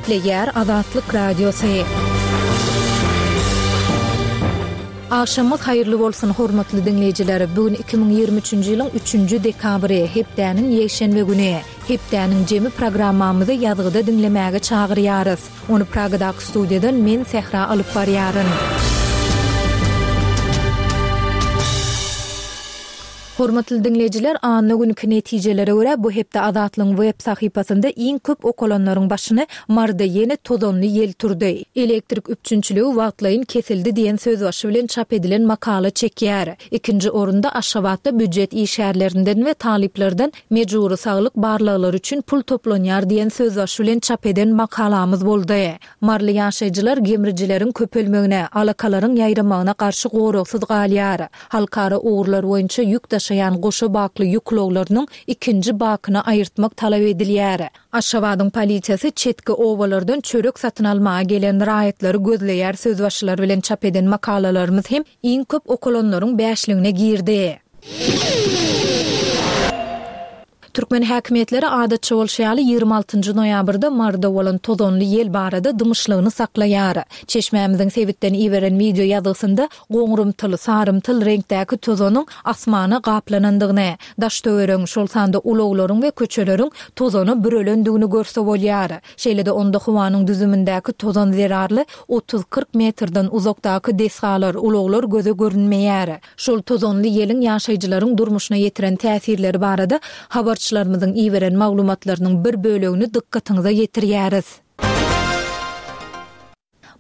Gepleýär Azatlyk Radiosy. Agşamyňyz haýyrly bolsun, hormatly diňleýjiler! Bu gün 2023-nji ýylyň üçünji dekabry, hepdäniň ýekşenbe güni. Hepdäniň jemi programmamyzy ýazgyda diňlemäge çagyrýarys. Ony Pragadaky studiýadan men, Sähra alyp barýaryn. Hormatly diňleýjiler, anna günki netijelere görä, bu hepde Azatlygyň web sahypasynda iň köp okalanlaryň başyny Maryda ýene tozanly ýel turdy, elektrik üpjünçiligi wagtlaýyn kesildi diýen sözbaşy bilen çap edilen makala çekýär. Ikinji orunda Aşgabatda býujet işgärlerinden we talyplardan mejbury saglyk barlaglary üçin pul toplanýar diýen sözbaşy bilen çap eden makalamyz boldy. Maryly ýaşaýjylar gemrijileriň köpelmegine, alakalaryň ýaýramagyna garşy goragsyz galýar. Halkara ugurlar boýunça ýük daşaýan goşa bakly ýük ulaglarynyň ikinji bakyny aýyrtmak talap edilýär. Aşgabadyň polisiýasy çetki obalardan çörek satyn almaga gelen raýatlary gözleýär sözbaşylary bilen çap eden makalalarymyz hem iň köp okalanlaryň bäşligine girdi. Türkmen häkimiýetleri adatça bolşy ýaly 26 nji noýabrda Maryda bolan tozanly ýel barada dymyşlygyny saklaýar. Çeşmämiziň sebitden iberen wideo ýazgysynda goňrumtyl, sarymtyl reňkdäki tozanyň asmana gaplanandygyny, daş-töweregiň, şol sanda ulaglaryň we köçeleriň tozana bürelendigini görse bolýar. Şeýle-de onda howanyň düzümindäki tozan zerarly otuz-kyrk metrden uzakdaky desgalar, ulaglar göze görünmeýär. Şol tozanly ýeliň ýaşaýjylaryň durmuşyna ýetiren täsirleri barada habarçylarymyzyň iberen maglumatlarynyň bir bölegini dykgatyňyza ýetirýäris.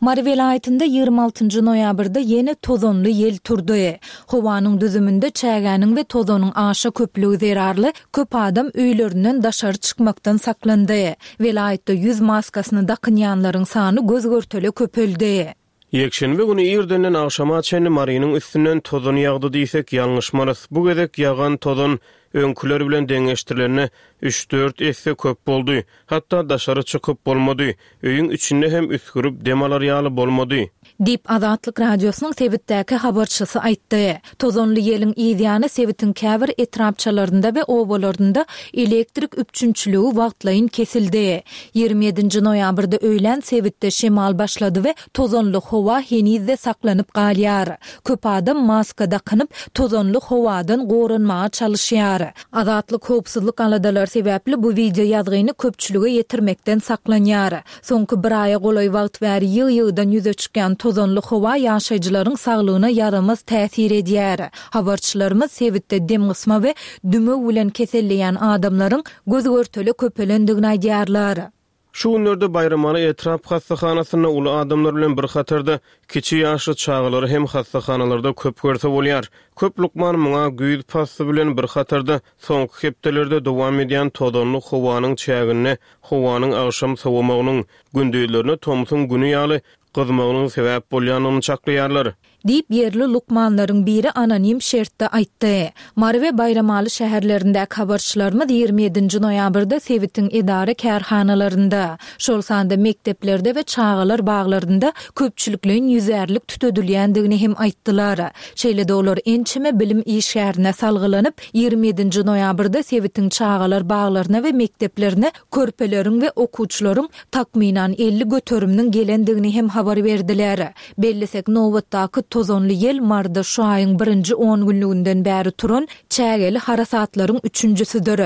Mary welaýatynda 26 njy noýabrda ýene tozanly ýel turdy. Howanyň düzüminde çägäniň we tozanyň aşa köplügi zerarly köp adam öýlerinden daşary çykmakdan saklandy. Welaýatda ýüz maskasyny dakynýanlaryň sany göz-görtele köpeldi. Ýekşenbe güni irdenden agşama çenli Marynyň üstünden tozan ýagdy diýsek ýalňyşmarys. Bu gezek ýagan tozan öňküler bilen deňeşdirilende üç-dört esse köp boldy. Hatda daşary çykyp bolmady. Öýüň içinde hem üsgürip dem alar ýaly bolmady. Diýip, Azatlyk Radiosynyň sebitdäki habarçysy aýtdy. Tozanly ýeliň yzýany sebitiň käbir etrapçalarynda we obalarynda elektrik üpjünçiligi wagtlaýyn kesildi. 27 nji noýabrda öýlän sebitde şemal başlady we tozanly howa heniz-de saklanyp galýar. Köp adam maska dakynyp, tozanly howadan goranmaga çalyşýar. Azatlyk howpsuzlyk aladalary sebäpli bu wideo ýazgyny köpçülige ýetirmekden saklanýar. Soňky bir aýa golaý wagt bäri ýygy-ýygydan ýüze çykýan tozanly howa ýaşaýjylaryň saglygyna ýaramaz täsir edýär. Habarçylarymyz sebitde demgysma we dümew bilen keselleýän adamlaryň göz-görtele köpelendigini aýdýarlar. Şu günlerde Baýramaly etrap hassahanasynda uly adamlar bilen bir hatarda kiçi ýaşly çagalary hem hassahanalarda köp görse bolýar. Köp lukman muňa güýz pasly bilen bir hatarda soňky hepdelerde dowam edýän tozanly howanyň çäginde howanyň agşam sowamagynyň, gündizlerine tomsuň güni ýaly gyzmagynyň sebäp bolýandygyny çaklaýarlar. Diýip, ýerli lukmanlaryň biri anonim şertde aýtdy. Mary we Baýramaly şäherlerindäki habarçylarymyz 27 nji noýabrda sebitiň edara-kärhanalarynda, şol sanda mekdeplerde we çagalar baglarynda köpçülikleýin ýüzärlik tütedilýändigini hem aýtdylar. Şeýle-de olar ençeme bilim işgärine salgylanyp, 27 nji noýabrda sebitiň çagalar baglaryna we mekdeplerine körpeleriň we okuwçylaryň takmynan 50 göteriminiň gelendigini hem habar berdiler. Bellesek, nobatdaky tozanly ýel Maryda şu aýyň birinji on günlüginden bäri turan çägeli harasatlaryň üçünjisidir.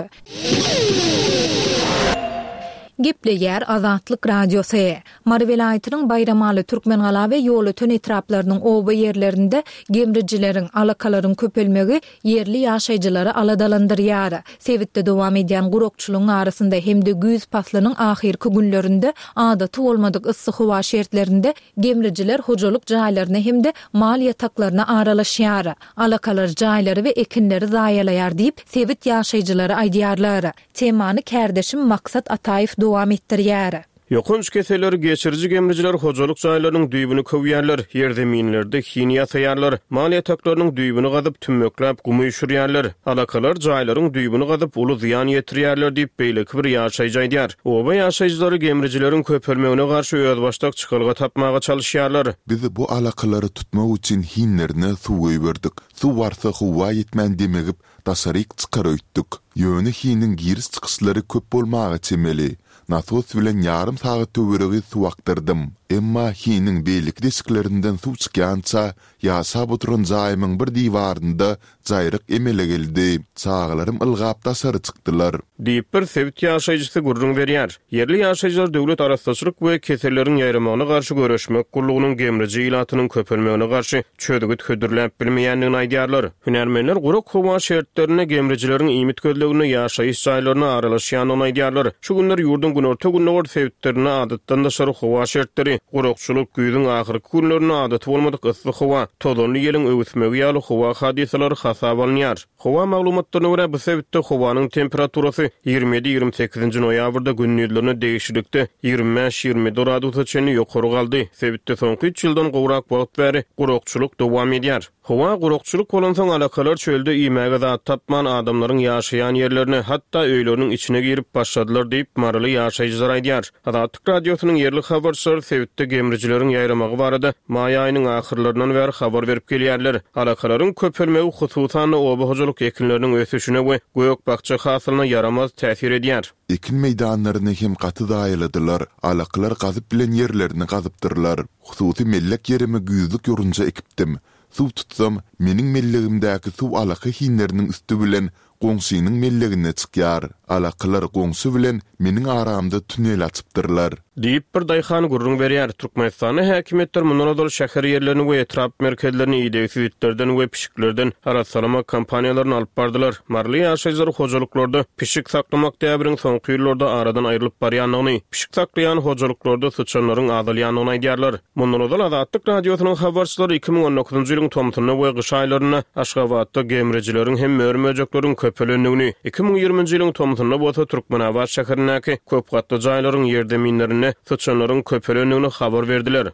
Gepleýär Azatlyk Radiosy. Mary welaýatynyň Baýramaly, Türkmengala we Ýolöten etraplarynyň oba ýerlerinde gemrijileriň, alakalaryň köpelmegi ýerli ýaşaýjylary aladalandyrýar. Sebitde dowam edýän gurakçylygyň arasynda hem-de güýz paslynyň ahyrky günlerinde adaty bolmadyk yssy howa şertlerinde gemrijiler hojalyk jaýlaryna hem-de mal ýataklaryna aralaşýar. Alakalar jaýlary we ekinleri zaýalaýar diýip, sebit ýaşaýjylary aýdýarlar. Temany kärdeşim Maksat Ataýew dowam etdirýär. Ýokanç keselleri geçiriji gemrijiler hojalyk jaýlarynyň düýbüni köwýärler, ýerzeminlerde hin ýasaýarlar, mal ýataklarynyň düýbüni gazyp, tümmekläp gum üýşürýärler. Alakalar jaýlaryň düýbüni gazyp, uly zyýan ýetirýärler diýip, beýleki bir ýaşaýjy aýdýar. Oba ýaşaýjylary gemrijileriň köpelmegine garşy özbaşdak çykalga tapmaga çalyşýarlar. Biz bu alakalary tutmak üçin hinlerine suw goýberdik. Suw barsa howa ýetmän demigip, daşaryk çykar öýtdük. Ýöne hiniň giriş-çykyşlary köp bolmaga çemeli. Nasos bilen ýarym sagat töweregi suw akdyrdym. Emma hiniň beýleki deşiklerinden suw çykýança, ýaşap oturan jaýymyň bir diwarynda jaýryk emele geldi. Çagalarym ylgap daşary çykdylar. Diýip, bir sebit ýaşaýjysy gürrüň berýär. Ýerli ýaşaýjylar Döwlet arassaçylyk we keselleriň ýaýramagyna garşy göreşmek gullugynyň gemriji ilatynyň köpelmegine garşy çözgüt hödürläp bilmeýändigini aýdýarlar. Hünärmenler gurak howa şertlerinde gemrijileriň iýmit gözleginde ýaşaýyş jaýlaryna aralaşýandygyny aýdýarlar. Şu günler ýurduň günorta-gündogar sebitlerinde adatdan daşary howa şertleri, gurakçylyk, güýzüň ahyrky günlerinde adaty bolmadyk yssy howa, tozanly ýeliň öwüsmegi ýaly howa hadysalary hasaba alynýar. Howa maglumatlaryna görä, bu sebitde howanyň temperaturasy 27, 28-nji noýabrda gündizlerine degişlilikde 25, 27 gradusa çenli ýokary galdy. Sebitde soňky üç ýyldan gowrak wagt bäri gurakçylyk dowam edýär. Howa gurakçylyk bolansoň, alakalar çölde iýmäge zat tapman, adamlaryň ýaşaýan ýerlerine, hatda öýleriniň içine girip başladylar diýip, maryly ýaşaýjylar aýdýar. Azatlyk Radiosynyň ýerli habarçylary sebitde gemrijileriň ýaýramagy barada maý aýynyň ahyrlaryndan bäri habar berip gelýärler. Alakalaryň köpelmegi hususan-da oba hojalyk ekinleriniň ösüşine we gök-bakja hasylyna ýaramaz täsir edýär. Ekin meýdanlaryny hem gaty zaýaladylar, alakalar gazyp bilen ýerlerini gazypdyrlar. Hususy mellek ýerime güýzlük ýorunja ekipdim. Suw tutsam, meniň mellegimdäki suw alaka hinleriniň üsti bilen goňşynyň mellegine çykýar. Alakalar goňşy bilen meniň aramda tunel açypdyrlar. Diýip, bir daýhan gürrüň berýär. Türkmenistanda häkimiýetler mundan ozal şäher ýerlerini we etrap merkezlerini idegsiz itlerden we pişiklerden arassalamak kampaniýalaryny alyp bardylar. Maryly ýaşaýjylar hojalyklarda pişik saklamak däbiniň soňky ýyllarda aradan aýrylyp barýandygyny, pişik saklaýan hojalyklarda syçanlaryň azalýandygyny aýdýarlar. Mundan ozal Azatlyk Radiosynyň habarçylary 2019-njy ýylyň tomsunda we gyş aýlarynda Aşgabatda gemrijileriň hem mör-möjekleriň köpelendigini, 2020-nji ýylyň tomsunda bolsa Türkmenabat şäherindäki köp gatly jaýlaryň ýerzeminlerinde syçanlaryň köpelendigini habar berdiler.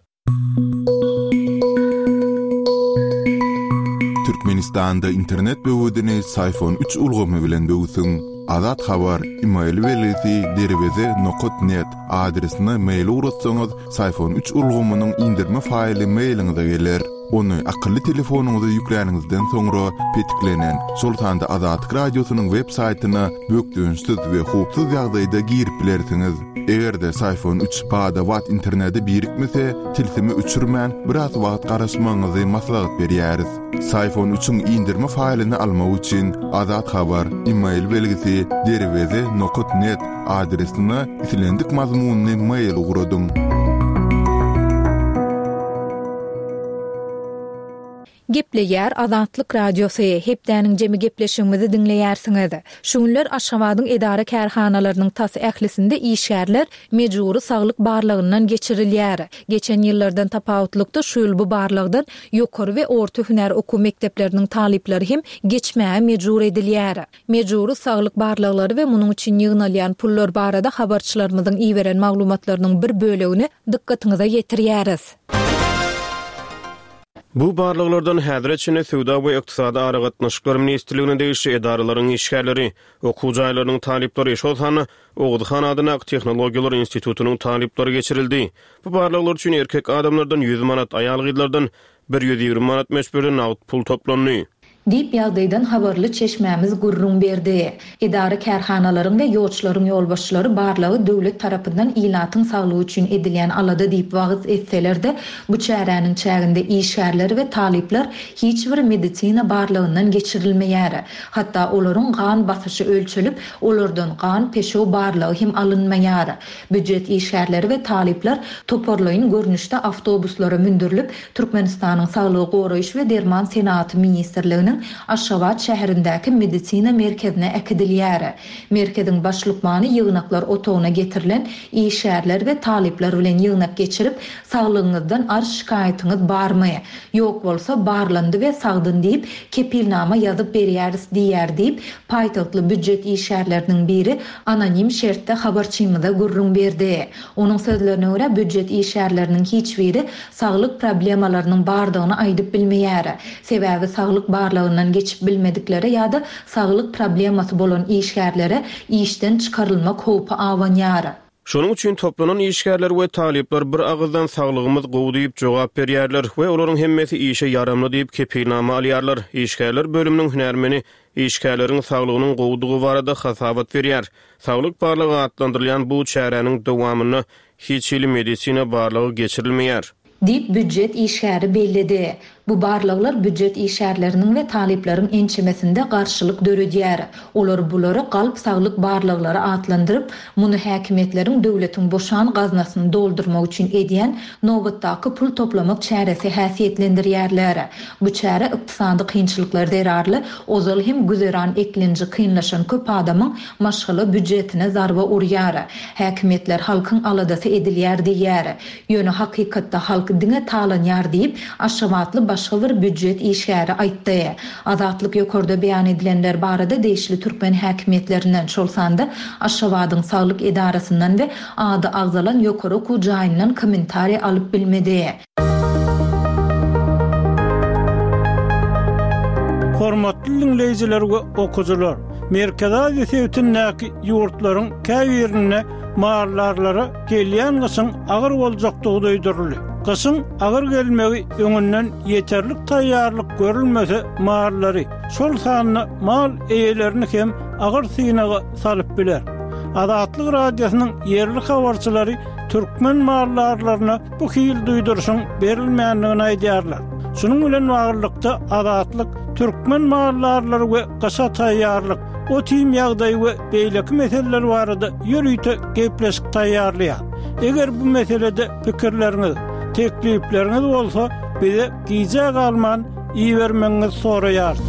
Türkmenistanda internet böwedini Syfon üç ulgamy bilen böwsüň. Azat Habar, email belgisi derweze nokat net adresine mail ugratsaňyz, Syfon üç ulgamynyň indirme faýly mailiňize geler. Ony akylly telefonyňyza ýükläniňizden soňra petiklenen, şol sanda Azatlyk Radiosynyň web saýtyna bökdençsiz we howpsuz ýagdaýda girip bilersiňiz. Eger-de Syfon üç bada-bat internete birikmese, tilsimi öçürmän, biraz wagt garaşmagyňyzy maslahat berýäris. Syfon üçiň indirme faýlyny almak üçin Azat Habar, email belgisi, derweze nokat net adresine islendik mazmunly mail ugradyň. Gepleýär Azatlyk Radiosy, Hepdäniň jemi gepleşigimizi diňleýärsiňiz. Şu günler Aşgabadyň edara-kärhanalarynyň tas ählisinde işgärler mejbury saglyk barlagyndan geçirilýär. Geçen ýyllardan tapawutlykda şu ýyl bu barlagdan ýokary we orta hünär okuw mekdepleriniň talyplary hem geçmäge mejbur edilýär. Mejbury saglyk barlaglary we munuň üçin ýygnalýan pullar barada habarçylarymyzyň iberen maglumatlarynyň bir bölegini dykgatyňyza ýetirýäris. Bu barlaglardan häzire çenli Söwda we ykdysady aragatnaşyklar ministrligine degişli edaralaryň işgärleri, okuw jaýlarynyň talyplary, şol sanda Oguzhan adyndaky Tehnologiýalar institutynyň talyplary geçirildi. Bu barlaglar üçin erkek adamlardan 100 manat, aýal-gyzlardan 120 manat möçberde nagt pul toplandy. Diýip, ýagdaýdan habarly çeşmämiz gürrüň berdi. Edara-kärhanalaryň we ýoçlaryň ýolbaşçylary barlagy döwlet tarapyndan ilatyň saglygy üçin edilýän alada diýip wagyz etseler-de, bu çäräniň çäginde işgärler we talyplar hiç bir medisina barlagyndan geçirilmeýär. Hatda olaryň gan basyşy ölçelip, olardan gan-peşew barlagy hem alynmaýar. Býujet işgärleri we talyplar toparlaýyn görnüşde awtobuslara mündürilip, Türkmenistanyň Saglygy goraýyş we derman senagaty ministrliginiň Aşgabat şäherindäki medisina merkezine äkidilýär. Merkeziň baş lukmany ýygnaklar otagyna getirilen işgärler we talyplar bilen ýygnak geçirip, Saglygyňyzdan arz-şikaýatyňyz barmy? Ýok bolsa, barlandy we sagdyn diýip, kepilnama ýazyp berýäris diýýär diýip, paýtagtly býujet işgärleriniň biri anonim şertde habarçymyza gürrüň berdi. Onuň sözlerine görä, býujet işgärleriniň hiç biri saglyk problemalarynyň bardygyny aýdyp bilmeýär. Sebäbi saglyk barlagyndan geçip bilmediklere ýa-da saglyk problemasy bolan işgärlere işden çykarylmak howpy abanýar. Şonuň üçin toplanan işgärler we talyplar bir agyzdan saglygymyz gowy diýip jogap berýärler we olaryň hemmesi işe ýaramly diýip kepilnama alýarlar. Işgärler bölüminiň hünärmeni işgärleriň saglygynyň gowudygy barada hasabat berýär. Saglyk barlagy atlandyrylýan bu çäräniň dowamynda hiç hili medisina barlagy geçirilmeýär. Diýip, býujet işgäri belledi. Bu barlaglar býujet işgärleriniň we talyplaryň ençemesinde garşylyk döredýär. Olar bulary galp saglyk barlaglary atlandyryp, muny häkimiýetleriň döwletiň boşan gaznasyny doldurmak üçin edýän nobatdaky pul toplamak çäresi häsiýetlendirýärler. Bu çäre ykdysady kynçylyklar zerarly ozal hem güzeran eklenji kynlaşan köp adamyň maşgala býujetine zarba urýar. Häkimiýetler halkyň aladasy edilýär diýýär. Ýöne hakykatda halk diňe talanýar diýip, aşgabatly başga bir býujet işgäri aýtdy. Azatlyk ýokarda beýan edilenler barada degişli türkmen häkimiýetlerinden, şol sanda Aşgabadyň saglyk edarasyndan we ady agzalan ýokary okuw jaýyndan kommentariý alyp bilmedi. Hormatly diňleýjiler we okyjylar! Merkezi Aziýa sebitindäki ýurtlaryň käbirinde maldarlara gelýän gyşyň agyr boljakdygy duýduryldy. Gyşyň agyr gelmegi öňünden ýeterlik taýýarlyk görülmese mallary, şol sanda mal eýelerini hem agyr synaga salyp biler. Azatlyk Radiosynyň ýerli habarçylary türkmen maldarlaryna bu hili duýduryşyň berilmändigini aýdýarlar. Şunuň bilen baglylykda, Azatlyk türkmen maldarlary we gyşa taýýarlyk, ot-iým ýagdaýy we beýleki meseleler barada ýörite gepleşik taýýarlaýar. Eger bu meselede pikirleriňiz, teklipleriňiz bolsa, bize gijä galman ibermegiňizi soraýarys.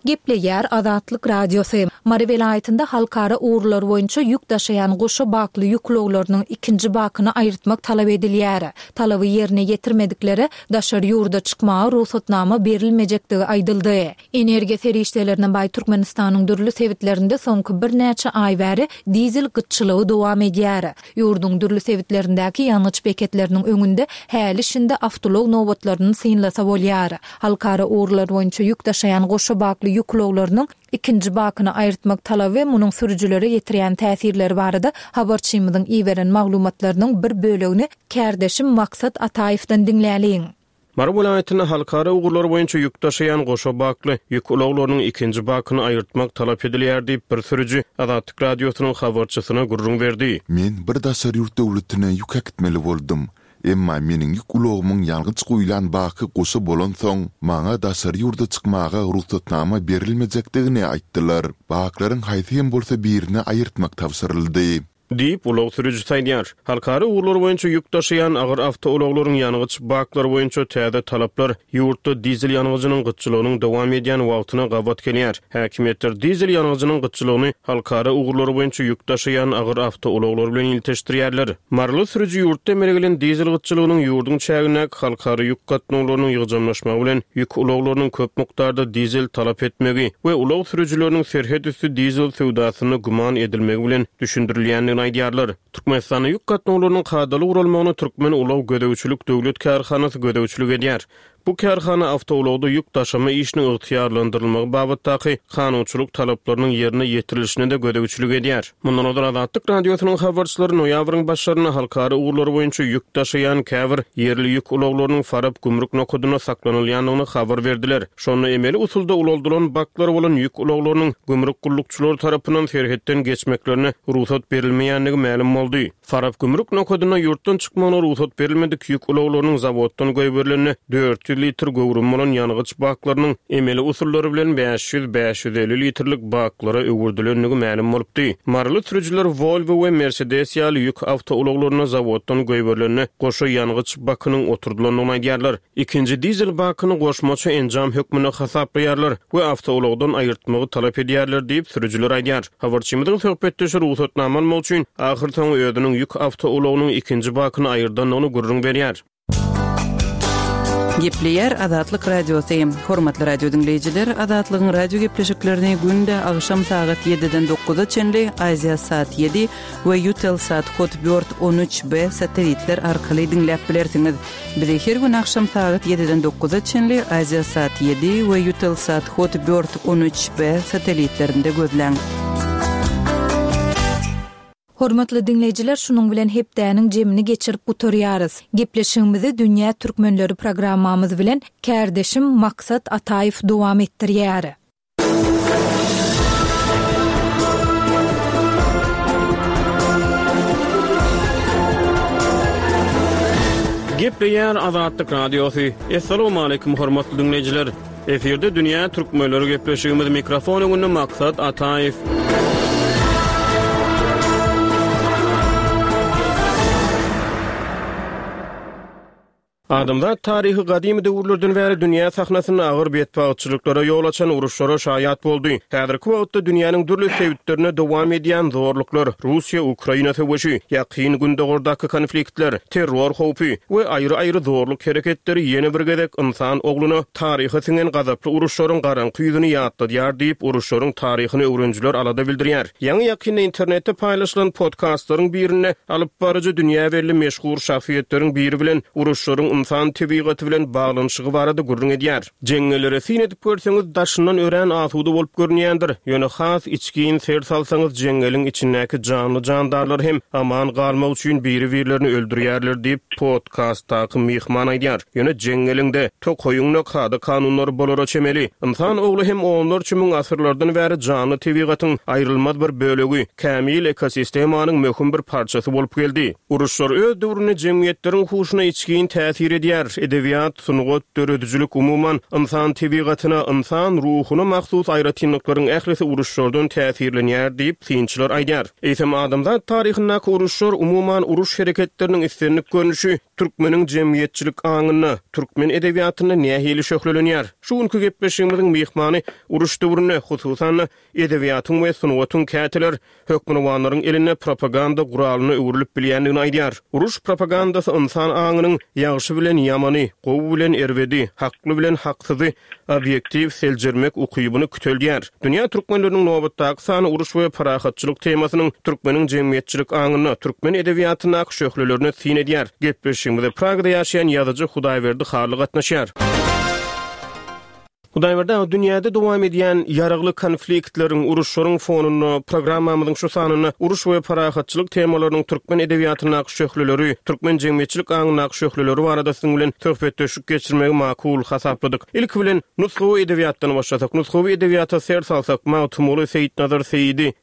Gepleýär Azatlyk Radiosy. Mary welaýatynda halkara ugurlar boýunça ýük daşaýan goşa bakly ýük ulaglarynyň ikinji bakyny aýyrtmak talap edilýär. Talaby ýerine ýetirmediklere daşary ýurda çykmaga rugsatnama berilmejekdigi aýdyldy. Energiýa serişdelerine baý Türkmenistanyň dürli sebitlerinde soňky birnäçe aý bäri dizel gytçylygy dowam edýär. Ýurduň dürli sebitlerindäki ýangyç beketleriniň öňünde häli-şindi awtoulag nobatlaryny synlasa bolýar. Halkara ugurlar boýunça ýük daşaýan goşa bakly ýük ulaglarynyň ikinji bakyny aýyrtmak talaby we munuň sürüjilere ýetirýän täsirleri barada habarçymyzyň iberen maglumatlarynyň bir bölegini kärdeşim Maksat Ataýewden diňläliň. Mary welaýatynda halkara ugurlar boýunça ýük daşaýan goşa bakly ýük ulaglarynyň ikinji bakyny aýyrtmak talap edilýär diýip, bir sürüji Azatlyk Radiosynyň habarçysyna gürrüň berdi. Men bir daşary ýurt döwletine ýük äkitmeli boldum. Emma meniň ýük ulagymyň ýangyç guýlan baky goşa bolansoň, maňa daşary ýurda çykmaga rugsatnama berilmejekdigini aýtdylar. Baklaryň haýsy hem bolsa birini aýyrtmak tabşyryldy. Diýip, ulag sürüjisi aýdýar. Halkara ugurlar boýunça ýük daşaýan agyr awtoulaglaryň ýangyç baklary boýunça täze talaplar ýurtda dizel ýangyjynyň gytçylygynyň dowam edýän wagtyna gabat gelýär. Häkimiýetler dizel ýangyjynyň gytçylygyny halkara ugurlary boýunça ýük daşaýan agyr awtoulaglar bilen ilteşdirýärler. Maryly sürüji ýurtda emele gelen dizel gytçylygynyň ýurduň çägindäki halkara ýük gatnawlarynyň ýygjamlaşmagy bilen ýük ulaglarynyň köp mukdarda dizel talap etmegi we ulag sürüjileriniň serhet üsti dizel söwdasynda güman edilmegi bilen düşündirilýändigini aýdýarlar. Türkmenistanda ýük gatnawlarynyň kadaly guralmagyna Türkmen ulag gözegçilik döwlet kärhanasy gözegçilik edýär. Bu kärhana awtoulagda ýük daşama işiniň ygtyýarlandyrylmagy babatdaky kanunçylyk talaplarynyň ýerine ýetirilişine-de gözegçilik edýär. Mundan ozal Azatlyk Radiosynyň habarçylary noýabryň başlarynda halkara ugurlary boýunça ýük daşaýan käbir ýerli ýük ulaglarynyň Farap gümrük nokadynda saklanylýandygyny habar berdiler. Şonda emeli usulda ulaldylan baklary bolan ýük ulaglarynyň gümrük gullukçylary tarapyndan serhetden geçmeklerine rugsat berilmeýändigi mälim boldy. Farap gümrük nokadynda ýurtdan çykmagyna rugsat berilmedik ýük ulaglarynyň zawoddan goýberilende 400 litr göwrümi bolan ýangyç baklarynyň emeli usullary bilen 500, 550 litrlik baklara öwürdilendigi mälim bolupdy. Maryly sürüjiler Volvo we Mercedes ýaly ýük awtoulaglarynda zawoddan goýberilende goşa ýangyç bakynyň oturdylandygyny aýdýarlar. Ikinji dizel bakyny goşmaça enjam hökmünde hasaplaýarlar we awtoulagdan aýyrtmagy talap edýärler diýip, sürüjiler aýdýar. Habarçymyzyň söhbetdeşi rugsatnama almak üçin ahyrsoňy özüniň ýük awtoulagynyň ikinji bakyny aýyrdandygyny gürrüň berýär. Gepleýär Azatlyk Radiosy. Hormatly radio diňleýjiler, Azatlygyň radio gepleşiklerini günde agşam sagat ýediden dokuza çenli Aziasat ýedi we Eutelsat Hotbird 13 B satelitler arkaly diňläp bilersiňiz. Bizi her gün agşam sagat ýediden dokuza çenli Aziasat ýedi we Eutelsat Hot Bird 13 B satelitlerinde gözläň. Hormatly diňleýjiler şunuň bilen hepdäniň jemini geçirip gutarýarys. Gepleşigimizi Dünýä Türkmenleri programmamyz bilen kärdeşim Maksat Ataýew dowam etdirýär. Gepleýär Azatlyk Radiosy. Assalamualaikum hormatly diňleýjiler. Efirde dünýä türkmenleri gepleşigimiz mikrofon öňünde Maksat Ataýew. Adamzat taryhy gadymy döwürlerden bäri dünýä sahnasynda agyr betbagtçylyklara ýol açan uruşlara şaýat boldy. Häzirki wagtda dünýäniň dürli sebitlerinde dowam edýän zorluklar, Russiýa-Ukraina söweşi, Ýakyn Gündogardaky konfliktler, terror howpy we aýry-aýry zorluk hereketleri ýene bir gezek ynsan ogluna taryha siňen gazaply uruşlaryň garaňky ýüzüni ýatladýar diýip, uruşlaryň taryhyny öwrenijiler alada bildirýär. Ýaňy-ýakynda internetde paýlaşylan podkastlaryň birinde alypbaryjy dünýä belli meşhur şahsyýetleriň biri bilen uruşlaryň ynsan tebigaty bilen baglanyşygy barada gürrüň edýär. Jeňňellere syn edip görseňiz, daşyndan örän asuda bolup görünýändir. Ýöne has içgin ser salsaňyz, jeňňeliň içindäki janly-jandarlar hem aman galmak üçin biri-birlerini öldürýärler diýip, podkastdaky myhman aýdýar. Ýöne jeňňeliň-de, tokaýyň-da kada-kanunlary bolara çemeli. Ynsan ogly hem onlarça müň asyrlardan bäri janly tebigatyň aýrylmaz bir bölegi, kämil ekosistemanyň möhüm bir parçasy bolup geldi. Uruşlar öz döwründe jemgyýetleriň huşuna içgin täsir edýär. Edebiýat, sungat, döredijilik, umuman, ynsan tebigatyna, ynsan ruhuna mahsus aýratynlyklaryň ählisi uruşlardan täsirlenýär diýip, synçylar aýdýar. Eýsem, adamzat taryhyndaky uruşlar, umuman, uruş hereketleriniň islendik görnüşi türkmeniň jemgyýetçilik aňynda, türkmen edebiýatynda nähili şöhlelenýär? Şu günki gepleşigimiziň myhmany uruş döwründe, hususan-da, edebiýatyň we sungatyň käteler hökmürowanlaryň elinde propaganda guralyna öwrülip bilýändigini aýdýar. Uruş propagandasy ynsan aňynyň ýagşy bilen ýamany, gowy bilen erbedi, hakly bilen haksyzy obýektiw seljermek ukybyny küteldýär. Dünýä türkmenleriniň nobatdaky sany uruş we parahatçylyk temasynyň türkmeniň jemgyýetçilik aňynda, türkmen edebiýatyndaky şöhlelerine syn edýär. Gepleşigimize Pragada ýaşaýan ýazyjy Hudaýberdi Hally gatnaşýar. Hudaýberdi aga, dünýäde dowam edýän ýaragly konfliktleriň, uruşlaryň fonunda programmamyzyň şu sanynda uruş we parahatçylyk temalarynyň türkmen edebiýatyndaky şöhleleri, türkmen jemgyýetçilik aňyndaky şöhleleri barada siziň bilen söhbetdeşlik geçirmegi makul hasapladyk. Ilki bilen, nusgawy edebiýatdan başlasak, nusgawy edebiýata ser salsak, Magtymguly, Seýitnazar Seýidi,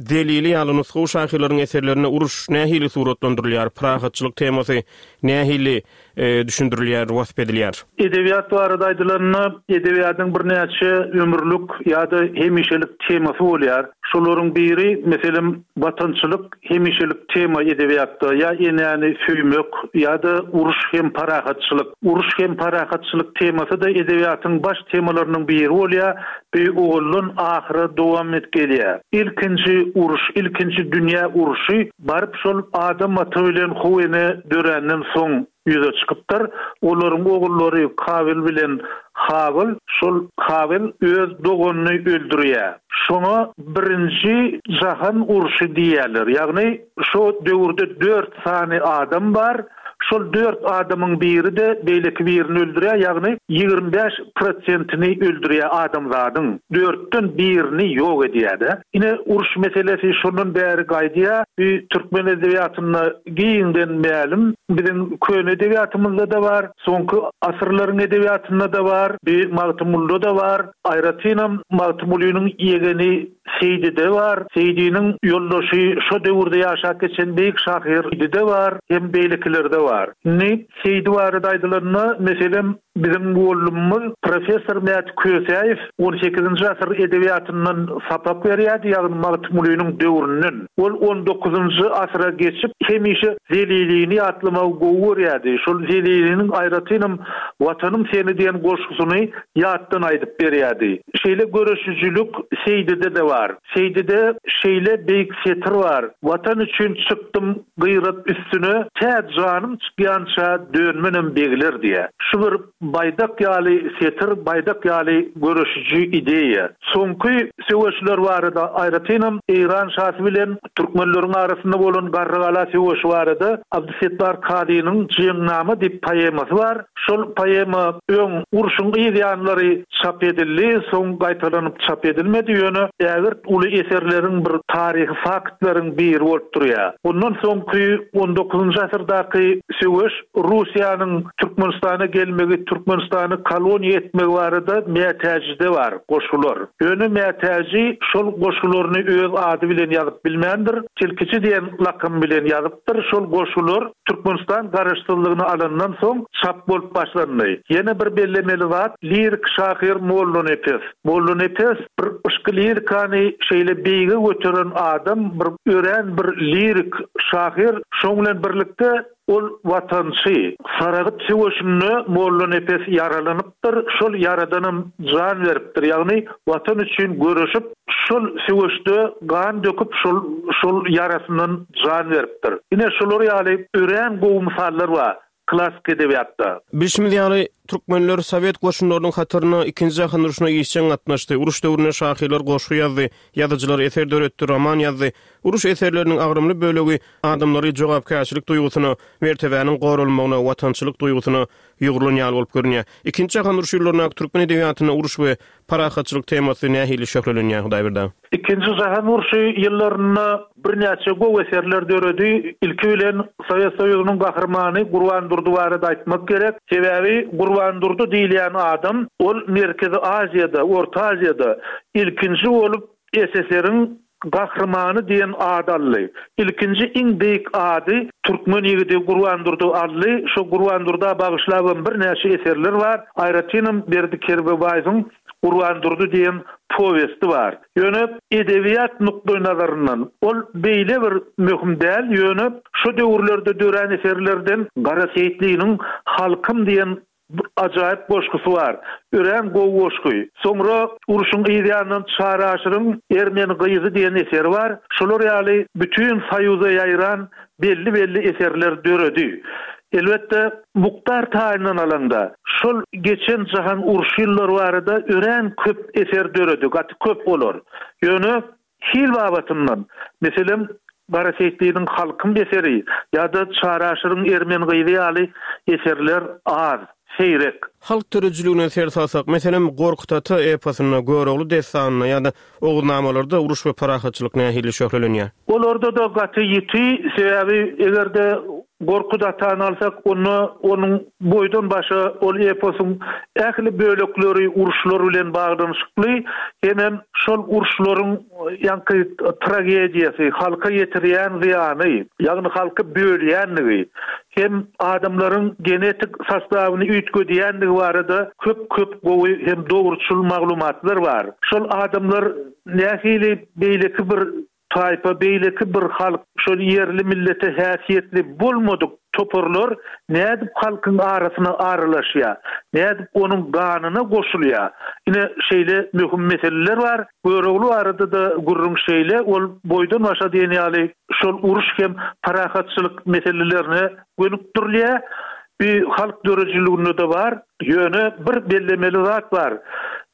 Zelili ýaly nusgawy şahyrlaryň eserlerinde uruş nähili suratlandyrylýar, parahatçylyk temasy nähili düşündirilýär, wasp edilýär? Edebiýat barada aýdylanda, edebiýatyň birnäçe ömürlik ýa-da hemişelik temasy bolýar. Şolaryň biri, meselem, watançylyk hemişelik tema edebiýatda, ýa enäni söýmek, ýa-da uruş hem parahatçylyk. Uruş hem parahatçylyk temasy-da edebiýatyň baş temalarynyň biri bolýar, bu owaldan ahyra dowam edip gelýär. Ilkinji uruş, ilkinji dünýä urşy baryp şol Adam ata bilen How ene döränden soň ýüze çykypdyr. Olaryň ogullary Kabyl bilen Habyl. Şol Kabyl öz doganyny öldürýär. Şoňa birinji jahan urşy diýýärler. Ýagny şo döwürde dört sany adam bar. Şol dört adamyň biri-de beýleki birini öldürýär, ýagny 25 prosentini öldürýär adamzadyň. Dörtden birini ýok edýär-de. Ine, uruş meselesi şondan bäri gaýdýar. Bu türkmen edebiýatynda giňden mälim. Biziň köne edebiýatymyzda-da bar, soňky asyrlaryň edebiýatynda-da bar, bu Magtymgulyda-da bar. Aýratynam Magtymgulynyň ýegeni Seýdide bar, Seýdiniň ýoldaşy şo döwürde ýaşap geçen beýik şahyr Seýdide bar hem beýlekilerde bar. Indi Seýdi barada aýdylanda, meselem, biziň mugallymymyz professor Mäti Kösäýew on sekizinji asyr edebiýatyndan sapak berýärdi, ýagny Magtymgulynyň döwründen. Ol on dokuzynjy asyra geçip, hemişe Zelilini ýatlamagy gowy görýärdi. Şol Zeliliniň aýratynam Watanym seni diýen goşgusyny ýatdan aýdyp berýärdi. Şeýle göreşijilik Seýdide-de bar. Seýdide şeýle beýik setir bar, Watan üçin çykdym gyrat üstüne, tä janym çykýança dönmenem begler diýýär. Şu bir baýdak ýaly setir, baýdak ýaly göreşiji ideýa. Soňky söweşler barada, aýratynam Eýran şasy bilen türkmenleriň arasynda bolan Garrygala söweşi barada Abdysetdar Kazynyň Jeňnama diýip poemasy bar. Şol poema öň, urşuň yz ýanlary çap edildi, soň gaýtalanyp çap edilmedi, ýöne ägirt uly eserleriň bir taryhy faktlaryň biri bolup durýar. Ondan soňky on dokuzynjy asyrdaky söweş Russiýanyň Türkmenistana gelmegi, Türkmenistany koloniýa etmegi barada Mätäjide bar goşgular. Ýöne Mätäji şol goşgularyny öz ady bilen ýazyp bilmändir, Tilkiçi diýen lakam bilen ýazypdyr. Şol goşgular Türkmenistan garaşsyzlygyny alandan soň çap bolup başlandy. Ýene bir bellemeli zat, lirik şahyr Mollanepes. Mollanepes bir yşky lirikany şeýle beýige göteren adam, bir örän bir lirik şahyr. Şoň bilen birlikde ol watançy. Saragyt söweşinde Mollanepes ýaralanypdyr, şol ýaradanam jan beripdir, ýagny Watan üçin göreşip, şol söweşde gan döküp, şol şol ýarasyndan jan beripdir. Ine, şular ýaly örän gowy mysallar bar klassyk edebiýatda. Bilşimiz ýaly, türkmenler sowet goşunlarynyň hatarynda Ikinji jahan urşuna işjeň gatnaşdy. Uruş döwründe şahyrlar goşgy ýazdy, ýazyjylar eser döretdi, roman ýazdy. Uruş eserleriniň agramly bölegi adamlary jogapkärçilik duýgusyna, mertebäniň goralmagyna, watançylyk duýgusyna ýugrulan ýaly bolup görünýär. Ikinji jahan urşy ýyllaryndaky türkmen edebiýatynda uruş we parahatçylyk temasy nähili şöhlelenýär, Hudaýberdi aga? Ikinji jahan urşy ýyllarynda birnäçe gowy eserler döredi. Ilki bilen Sowet Soýuzynyň Gahrymany Gurban Durdy barada aýtmak gerek. Sebäbi Gurban Durdy diýilýän adam ol Merkezi Aziýada, Orta Aziýada ilkinji bolup SSR-iň Gahrymany diýen ady aldy. Ilkinji iň beýik ady türkmen ýigidi Gurban Durdy aldy. Şo Gurban Durda bagyşlabam birnäçe eserler bar. Aýratynam Berdi Kerbabaýewiň Gurban Durdy diýen powesti bar. Ýöne edebiýat nukdaýnazaryndan ol beýle bir möhüm däl, ýöne şo döwürlerde dörän eserlerden Gara Seýitliniň Halkym diýen Bir ajaýyp goşgusy bar. Örän gowy goşgy. Soňra urşuň yz ýanyndan Çary Aşyryň Ermeni gyzy diýen eseri bar. Şolar ýaly bütin Soýuza ýaýran belli-belli eserler döredi. Elbetde, mukdar taýyndan alaňda, şol geçen jahan urşy ýyllary barada örän köp eser döredi, gaty köp olar. Ýöne Hil babatyndan, meselem, Gara Seýitliniň Halkym eseri ýa-da Çary Aşyryň Ermeni gyzy ýaly eserler az, seýrek. Halk döredijiligine ser salsak, meselem, Gorkut ata eposynda, Görogly dessanynda ýa-da Oguznamalarda uruş we parahatçylyk nähili şöhlelenýär? Olarda-da gaty ýiti, sebäbi eger-de Gorkut atany alsak, onda onuň boýdan-başa ol eposyň ähli bölekleri uruşlar bilen baglanyşykly hemem şol uruşlaryň ýaňky tragediýasy, halka ýetirýän zyýany, ýagny halky bölýänligi hem adamlaryň genetik sostawyny üýtgedýänligi barada köp-köp gowy hem dogruçyl maglumatlar bar. Şol adamlar nähili beýleki bir Taýpa, beýleki bir halk, şol ýerli millete häsiýetli bolmadyk toparlar nädip halkyň arasyna aralaşýar, nädip onuň ganyna goşulýar? Ine, şeýle möhüm meseleler bar. Görogly barada-da gürrüň şeýle, ol boýdan-başa diýen ýaly şol uruş hem parahatçylyk meselelerine gönükdirilýär. Bu halk döredijiliginde-de bar. Ýöne bir bellemeli zat bar.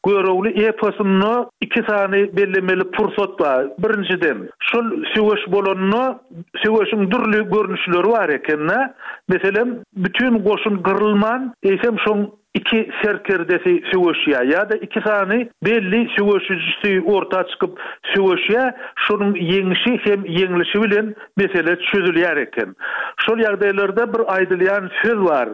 Görogly eposynda iki sany bellemeli pursat bar. Birinjiden, şol söweş bolanda söweşiň dürli görnüşleri bar eken-de. Meselem, bütin goşun gyrylman, eýsem şoň iki serkerdesi söweşýär ýa-da iki sany belli söweşijisi orta çykyp söweşýär, şonuň ýeňşi hem ýeňlişi bilen mesele çözülýär eken. Şol ýagdaýlarda bir aýdylýan söz bar,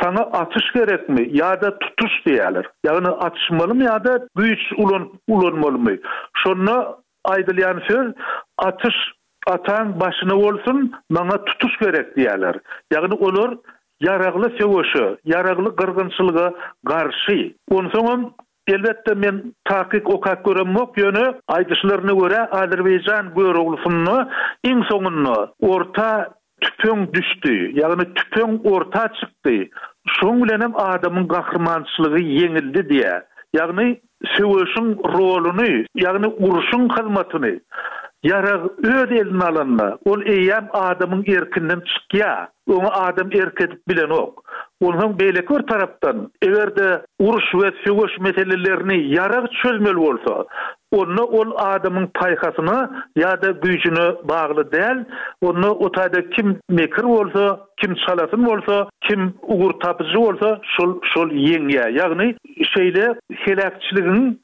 Saňa atyş gerekmi ýa-da tutuş diýýärler. Ýagny atyşmalymy ýa-da güýç ulanyp ulanmalymy? Şonda aýdylýan söz atyş ataň başyna bolsun, maňa tutuş gerek diýýärler. Ýagny olar ýaragly söweşe, ýaragly gyrgynçylyga garşy. Onsoňam Elbetde men takyk okap göremok ýöne aýdyşlaryna görä Azerbaýjan Göroglysynda iň soňunda orta tüpeň düşdi ýagny tüpeň orta çykdy şoň bilenem adamyň gahrymançylygy ýeňildi diýä ýagny söweşiň roluny ýagny urşuň hyzmatyny ýarag öz eline alanda ol eýýäm adamyň erkinden çykýa. Oňa adam erk edip bilenok. Onsoň beýleki bir tarapdan, eger-de uruş we söweş meselelerini ýarag çözmeli bolsa, onda ol adamyň paýhasyna ýa-da güýjüne bagly däl, onda o taýda kim mekir bolsa, kim çalasyn bolsa, kim ugurtapyjy bolsa, şol şol ýeňýär. Ýagny şeýle heläkçiligiň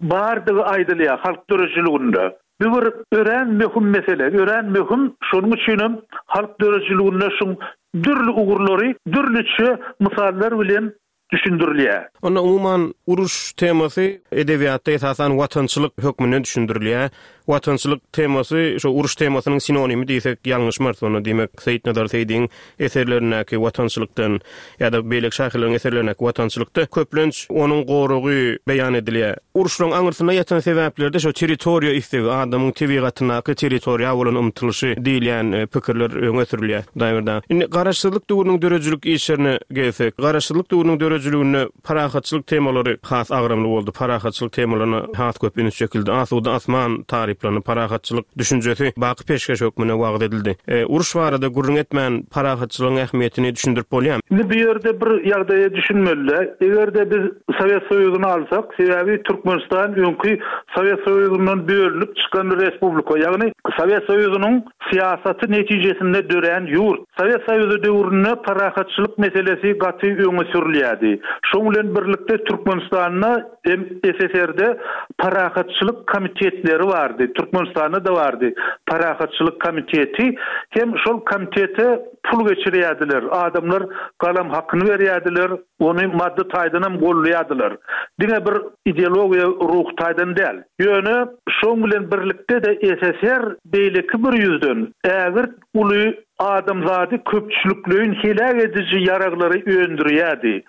bardygy aýdylýar halk döredijiliginde. Bu bir örän möhüm mesele, örän möhüm, şonuň üçinem halk döredijiliginde şuň dürli ugurlary dürlüçe mysallar bilen düşündirilýär. Onda umuman uruş temasy edebiýatda esasan watançylyk hökmünde düşündirilýär. Watançylyk temasy şo uruş temasynyň sinonimi diýsek ýalňyşmarys onda diýmek Seýitnazar Seýdiň eserlerindäki watançylykdan ýa-da beýleki şahyrlaryň eserlerindäki watançylykda köplenç onuň goragy beýan edilýär. Uruşlaryň aňyrsynda ýatan sebäplerde şo territoriýa islegi, adamyň tebigatyndaky territoriýa bolan ymtylyşy diýilýän pikirler öňe sürülýär. Hudaýberdi aga, indi Garaşsyzlyk döwrüniň döredijilik işlerine gelsek, Garaşsyzlyk döwrüniň döredijiliginde parahatçylyk temalary has agramly boldy, parahatçylyk temalaryna has köp üns çekildi, asuda asman taryplandy, parahatçylyk düşünjesi baky peşgeş hökmünde wagyz edildi. Uruş barada gürrüň etmän, parahatçylygyň ähmiýetini düşündirip bolýarmy? Indi bu ýerde bir ýagdaýa düşünmeli-dä, eger-de biz Sowet Soýuzyny alsak, sebäbi Türkmenistan öňki Sowet Soýuzyndan bölünip çykan respublika, ýagny Sowet Soýuzynyň syýasaty netijesinde dörän ýurt. Sowet Soýuzy döwründe parahatçylyk meselesi gaty öňe sürülýärdi. Şoň bilen birlikde Türkmenistanda hem SSR-de parahatçylyk komitetleri bardy, Türkmenistanda-da bardy parahatçylyk komiteti. Hem şol komitete pul geçirýärdiler, adamlar galam hakyny berýärdiler. Ony maddy taýdanam goldaýardylar. Diňe bir ideologiýa, ruhy taýdan däl. Ýöne şoň bilen birlikde-de SSR beýleki bir ýüzden ägirt uly adamzady köpçülikleýin heläk ediji ýaraglary öndürýärdi.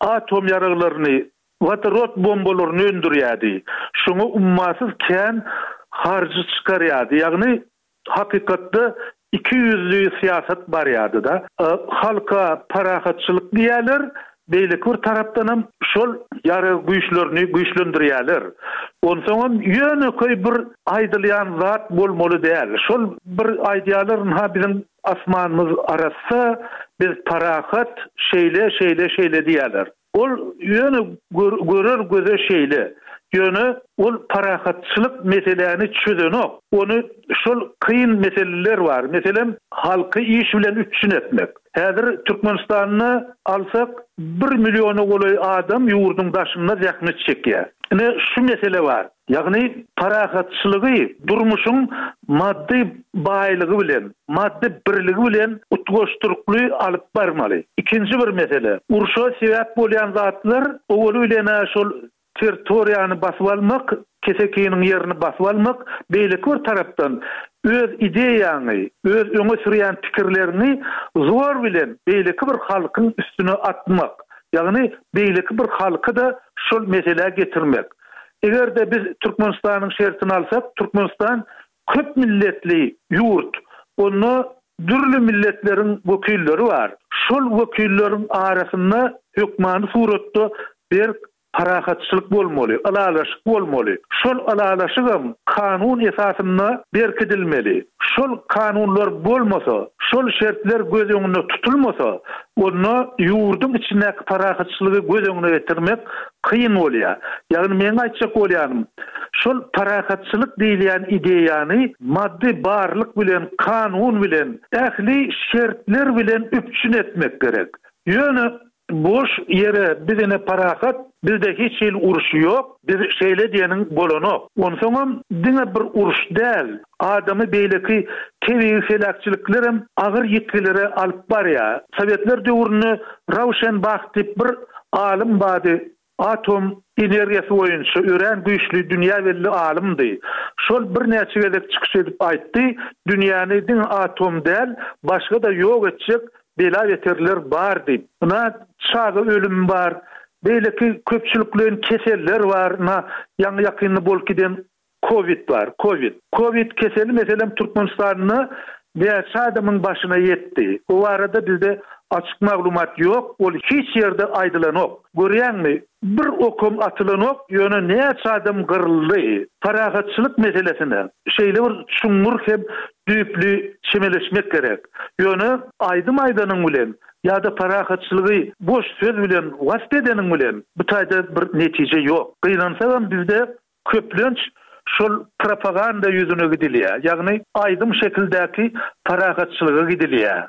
Atom ýaraglaryny, wodorod bombalaryny öndürýärdi. Şoňa ummasyz kän harjy çykarýardy. Ýagny Hakykatda ikiýüzli syýasat barýardy-da. Halka parahatçylyk diýýärler, beýleki bir tarapdanam şol ýarag güýçlerini güýçlendirýärler. Onsoňam ýönekeý bir aýdylýan zat bolmaly däl. Şol bir aýdýarlar, ynha biziň asmanymyz arassa, biz parahat, şeýle, şeýle, şeýle diýýärler. Ol ýöne görer göze şeýle. Ýöne ol parahatçylyk meseläni çözenok. Ony şol kyn meseleler bar. Meselem, halky iş bilen üpjün etmek. Häzir Türkmenistanda alsak, bir milliona golaý adam ýurduň daşynda zähmet çekýär. Ine, şu mesele bar. Ýagny parahatçylygy durmuşyň maddy baýlygy bilen, maddy birligi bilen utgaşdyrykly alyp barmaly. Ikinji bir mesele, urşa sebäp bolýan zatlar owaly bilen-ä şol territoriýany basyp almak, kesekiniň ýerini basyp almak, beýleki bir tarapdan öz ideýaňy, öz öňe sürýän pikirleriňi zor bilen beýleki bir halkyň üstüne atmak, ýagny beýleki bir halky-da şol meselä getirmek. Eger-de biz Türkmenistanyň şertini alsak, Türkmenistan köp milletli ýurt. Onda dürli milletleriň wekilleri bar. Şol wekilleriň arasynda hökmany suratda berk parahatçylyk bolmaly, ylalaşyk bolmaly. Şol ylalaşygam kanun esasynda berkidilmeli. Şol kanunlar bolmasa, şol şertler göz öňünde tutulmasa, onda ýurduň içindäki parahatçylygy göz öňüne getirmek kyn bolýar. Ýagny meň aýtjak bolýanym, şol parahatçylyk diýilýän ideýany maddy barlyk bilen, kanun bilen, ähli şertler bilen üpjün etmek gerek. Ýöne Boş ýere biz ine parahat, bizde hiç hili uruş ýok, biz şeýle diýeniň bolanok. Onsoňam diňe bir uruş däl, adamy beýleki tebigy heläkçiliklerem agyr ýitgilere alyp barýar. Sowetler döwründe Rauşenbah diýip bir alym bardy, atom energiýasy boýunça örän güýçli dünýä belli alymdy. Şol birnäçe gezek çykyş edip aýtdy, dünýäni diňe atom däl, başga-da ýok etjek bela-beterler bar diýip. Ynha, çaga ölümi bar, beýleki köpçülikleýin keseller bar, ynha, ýaňy-ýakynda bolup giden Kowid bar, kowid. Kowid keseli meselem Türkmenistanda näçe adamyň başyna ýetdi? O barada bizde açyk maglumat ýok, ol hiç ýerde aýdylanok. Görýäňmi, bir okam atylanok, ýöne näçe adam gyryldy. Parahatçylyk meselesine şeýle bir çuňňur hem düýpli çemeleşmek gerek. Ýöne aýdym aýdanyň bilen ýa-da parahatçylygy boş söz bilen wasp edeniň bilen bu taýda bir netije ýok. Gynansagam bizde Köplenç şol propaganda ýüzüne gidilýär, ýagny aýdym şekildäki parahatçylyga gidilýär.